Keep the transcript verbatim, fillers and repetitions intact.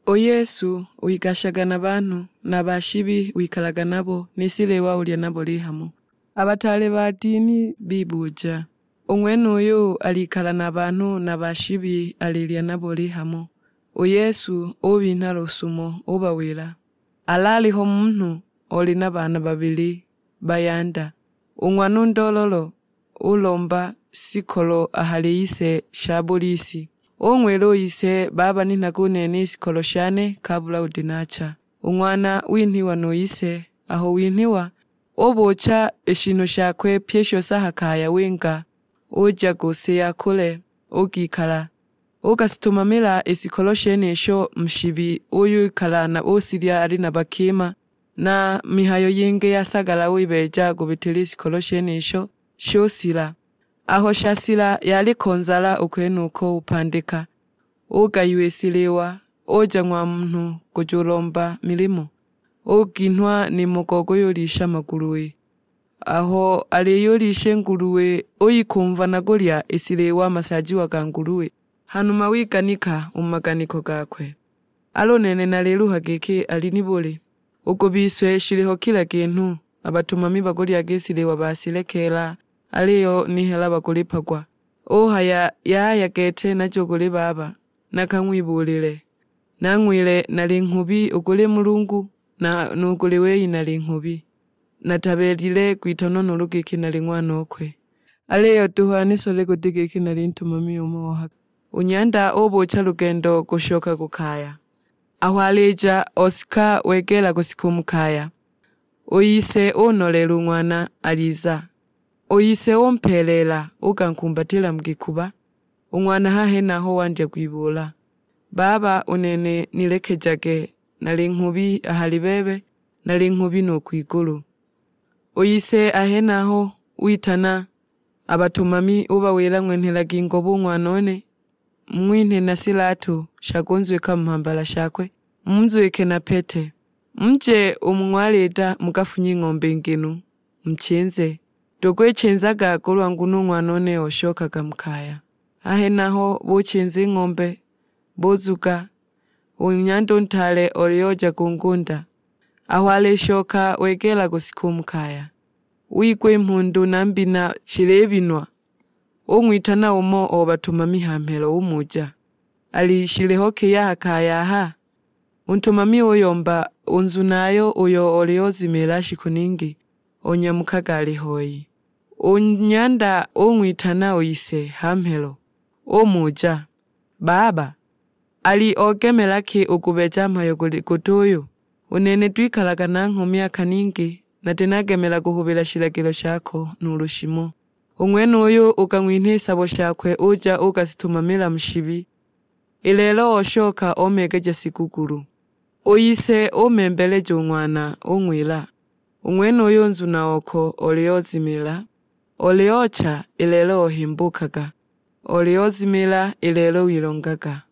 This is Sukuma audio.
U Yesu wigashaga na banhu, na ba shibi wikalaga nabo, ni shiliwa ulya nabo lihamo. A bataale ba dini bibuja, "U ng'wenuyu alikala na banhu na ba shibi alilya nabo lihamo?" U Yesu ubinha lusumo, ubawila, "Alaliho munhu oli na baana babili bayanda. U ng'wana u ndololo ulomba shikolo a hali ise sha buli si. Ung'wila u ise, 'Baba, ninhaga u nene i shikolo shane kabula udi nacha.' U ng'wana winhiwa nu ise. Aho winhiwa, ubucha i shinhu shakwe pyi i shose a ha kaya, winga, uja ku si yakule, ugikala. Ugasitumamila i shikolo shenisho mu shibi, uyikala na usilya ali na bakima, na mihayo yingi ya sagala uyibeeja kubitila i shikolo shenisho, shusila. Aho shasila yaliko nzala u kwenuko upandika, ugayiwa i shiliwa, uja ng'wa munhu kujulomba milimo, uginhwa nimo go kuyulisha maguluwe. Aho aliyulisha i nguluwe, uyikumva na kulya i shiliwa a masaajiwa ga nguluwe. Hanuma wiganika u mu maganiko gakwe, 'Al'u nene naliluha giki, ali nibuli? U ku bise shiliho kila kinhu, a batumami bakulyaga i shiliwa bashilekeela, aliyo ni hela bakulipagwa.' Uhaya, 'Yaya gete najo kuli baba, nakang'wibuulile.' Nang'wile, 'Nali nghubi u kuli Mulungu, na nu kuli wei nali nghubi. Natabeelile kwitanwa nuulu giki nali ng'wanokwe. Aliyo duhu anisole guti giki nali ntumami umo o haka.' U nyanda ubuucha lugendo kushoka ku kaya. Aho alija osika wegeela kusika u mu kaya, u ise unoleela u ng'wana aliza. U ise umpeeleela, ukankumbatila mu gikuba. U ng'wana ha henaho wandya kwibuula, 'Baba, u nene nilekejage, nali nghubi a hali bebe, nali nghubi nu kwigulu.' U ise a henaho witana a batumami, ubawila, 'Ng'wenhelagi ngobo u ng'wanone, mung'winhe na shilatu sha kunzwika mu mhambala shakwe, munzwike na pete. Muje u mu ng'walida mukafunye ng'ombe nginu, muchinze. Tugwichinzaga kulwa nguno u ng'wanone oshokaga mu kaya.' A henaho buchinza i ng'ombe, buzuga, u nyanda u ntaale olioja ku ngunda. Aho alishoka wegeela kusika u mu kaya, wigwa i mhundu na mbina shilibinwa. Ung'witana umo o batumami ha mhelo umuja, 'Ali shiliho ki a ha kaya aha?' U ntumami uyomba, 'U nzunayo uyo oli ozimiila shiku ningi, onyamukaga ali hoi.' U nyanda ung'witana u ise ha mhelo, umuja, 'Baba, ali ogemela ki u kubeeja mhayo guli guti uyu? U nene twikalaga nangho myaka ningi, nati nagemela kuhubila shilagilo shako nuulu shimo.' U ng'wenuyu ukang'winha i sabo shakwe, uja uukasitumamila mu shibi. I lelo oshoka omeegeja shigukulu. U ise umembeleja u ng'wana, ung'wila, 'U ng'wenuyu nzuna oko oli ozimiila, oli ocha, i lelo ohimbukaga, oli ozimiila, i lelo wilongaga.'